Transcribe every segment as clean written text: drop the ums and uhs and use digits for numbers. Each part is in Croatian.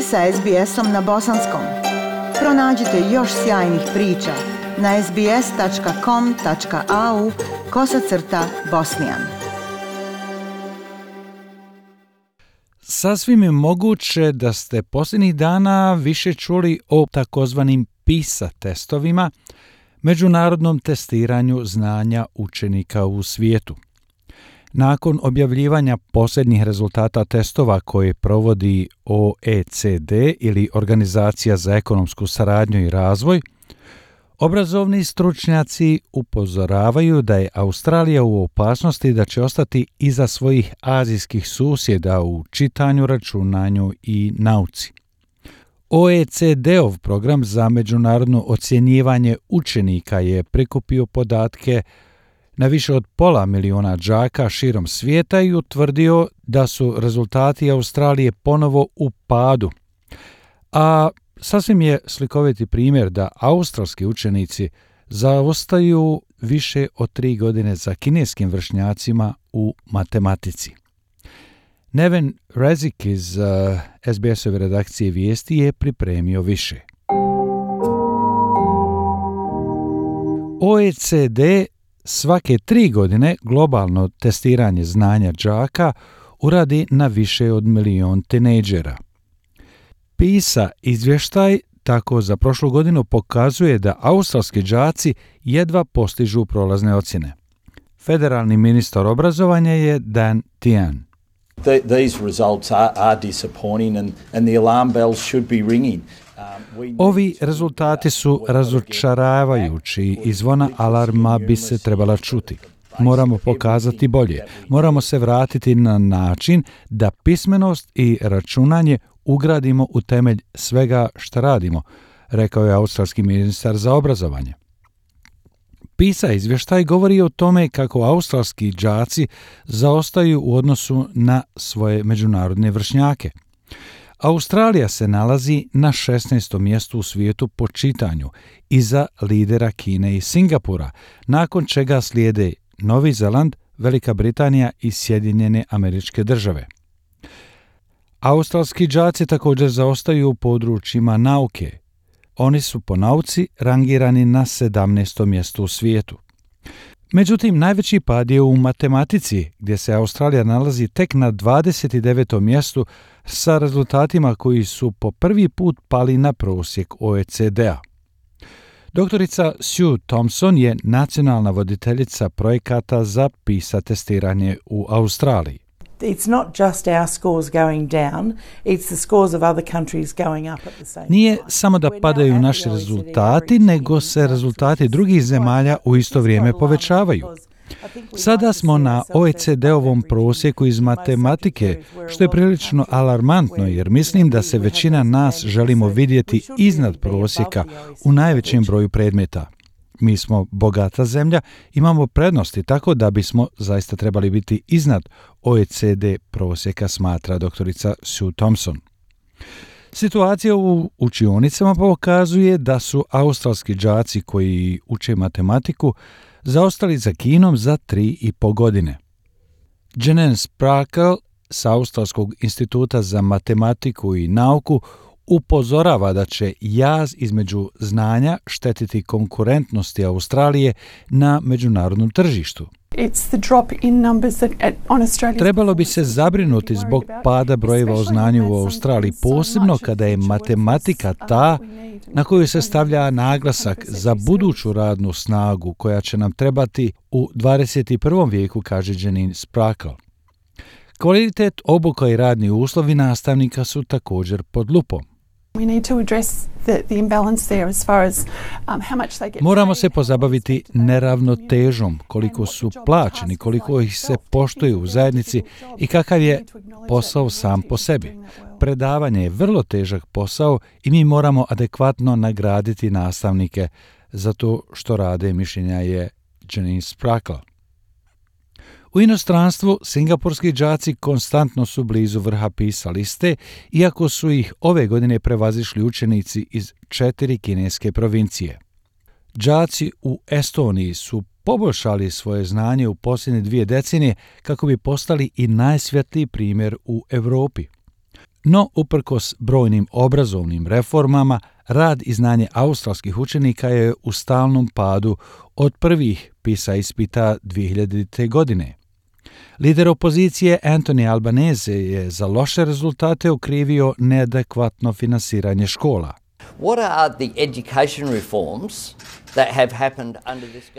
ste sa SBS-om na bosanskom. Pronađite još sjajnih priča na sbs.com.au/bosnijan. Sasvim je moguće da ste posljednjih dana više čuli o takozvanim PISA testovima, međunarodnom testiranju znanja učenika u svijetu. Nakon objavljivanja posljednjih rezultata testova koje provodi OECD ili Organizacija za ekonomsku saradnju i razvoj, obrazovni stručnjaci upozoravaju da je Australija u opasnosti da će ostati iza svojih azijskih susjeda u čitanju, računanju i nauci. OECD-ov program za međunarodno ocjenjivanje učenika je prikupio podatke na više od 500,000 đaka širom svijeta i utvrdio da su rezultati Australije ponovo u padu. A sasvim je slikoviti primjer da australski učenici zaostaju više od 3 godine za kineskim vršnjacima u matematici. Neven Rezik iz SBS-ove redakcije vijesti je pripremio više. OECD svake 3 godine globalno testiranje znanja đaka uradi na više od 1.000.000 tinejdžera. PISA izvještaj tako za prošlu godinu pokazuje da australski đaci jedva postižu prolazne ocjene. Federalni ministar obrazovanja je Dan Tehan. These results are disappointing and the alarm bells should be ringing. Ovi rezultati su razočaravajući i zvona alarma bi se trebala čuti. Moramo pokazati bolje. Moramo se vratiti na način da pismenost i računanje ugradimo u temelj svega što radimo, rekao je australski ministar za obrazovanje. PISA izvještaj govori o tome kako australski đaci zaostaju u odnosu na svoje međunarodne vršnjake. Australija se nalazi na 16. mjestu u svijetu po čitanju, iza lidera Kine i Singapura, nakon čega slijede Novi Zeland, Velika Britanija i Sjedinjene Američke Države. Australski đaci također zaostaju u područjima nauke. Oni su po nauci rangirani na 17. mjestu u svijetu. Međutim, najveći pad je u matematici, gdje se Australija nalazi tek na 29. mjestu sa rezultatima koji su po prvi put pali na prosjek OECD-a. Doktorica Sue Thompson je nacionalna voditeljica projekata za PISA testiranje u Australiji. It's not just our scores going down, it's the scores of other countries going up at the same time. Nije samo da padaju naši rezultati, nego se rezultati drugih zemalja u isto vrijeme povećavaju. Sada smo na OECD-ovom prosjeku iz matematike, što je prilično alarmantno jer mislim da se većina nas želimo vidjeti iznad prosjeka u najvećem broju predmeta. Mi smo bogata zemlja, imamo prednosti, tako da bismo zaista trebali biti iznad OECD prosjeka, smatra doktorica Sue Thompson. Situacija u učionicama pokazuje da su australski đaci koji uče matematiku zaostali za Kinom za 3,5 godine. Janine Sprackle s Australskog instituta za matematiku i nauku upozorava da će jaz između znanja štetiti konkurentnosti Australije na međunarodnom tržištu. Trebalo bi se zabrinuti zbog pada brojeva o znanju u Australiji, posebno kada je matematika ta na koju se stavlja naglasak za buduću radnu snagu koja će nam trebati u 21. vijeku, kaže Janine Sprackle. Kvalitet obuka i radni uslovi nastavnika su također pod lupom. Moramo se pozabaviti neravnotežom, koliko su plaćeni, koliko ih se poštuje u zajednici i kakav je posao sam po sebi. Predavanje je vrlo težak posao i mi moramo adekvatno nagraditi nastavnike za to što rade, mišljenja je Janine Sprackle. U inostranstvu singapurski đaci konstantno su blizu vrha PISA liste, iako su ih ove godine prevazišli učenici iz 4 kineske provincije. Đaci u Estoniji su poboljšali svoje znanje u posljednje 2 decenije kako bi postali i najsvjetliji primjer u Europi. No, uprkos brojnim obrazovnim reformama, rad i znanje australskih učenika je u stalnom padu od prvih PISA ispita 2000. godine. Lider opozicije Anthony Albanese je za loše rezultate okrivio neadekvatno finansiranje škola.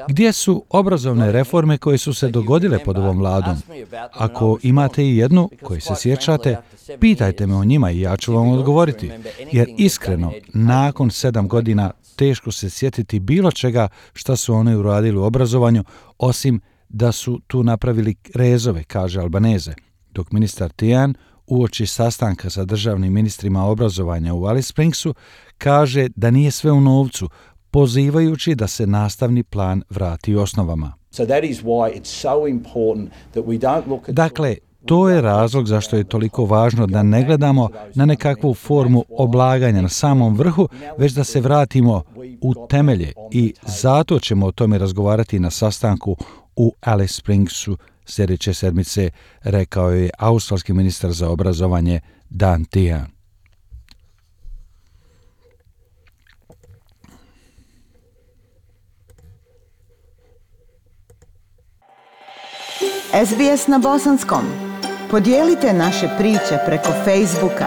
Gdje su obrazovne reforme koje su se dogodile pod ovom vladom? Ako imate i jednu koju se sjećate, pitajte me o njima i ja ću vam odgovoriti. Jer iskreno, nakon 7 godina teško se sjetiti bilo čega što su oni uradili u obrazovanju, osim da su tu napravili rezove, kaže Albanese, dok ministar Tian uoči sastanka sa državnim ministrima obrazovanja u Alice Springsu kaže da nije sve u novcu, pozivajući da se nastavni plan vrati osnovama. Dakle, to je razlog zašto je toliko važno da ne gledamo na nekakvu formu oblaganja na samom vrhu, već da se vratimo u temelje i zato ćemo o tome razgovarati na sastanku u Alice Springsu sljedeće sedmice, rekao je australski ministar za obrazovanje Dan Tehan. SBS na bosanskom. Podijelite naše priče preko Facebooka.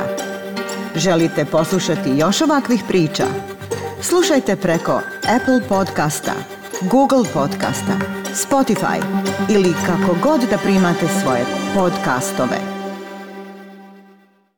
Želite poslušati još ovakvih priča? Slušajte preko Apple podcasta, Google podcasta, Spotify ili kako god da primate svoje podcastove.